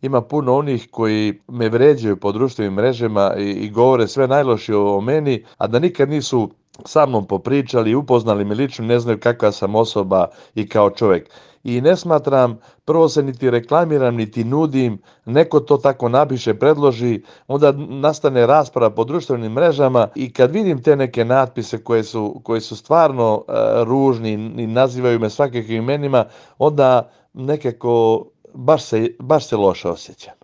ima puno onih koji me vređaju po društvenim mrežama i govore sve najlošije o meni, a da nikad nisu sa mnom popričali, upoznali me lično, ne znaju kakva sam osoba i kao čovjek. I ne smatram, prvo se niti reklamiram, niti nudim, neko to tako napiše, predloži, onda nastane rasprava po društvenim mrežama i kad vidim te neke natpise koje su stvarno ružni i nazivaju me svakakvim imenima, onda nekako baš se loše osjećam.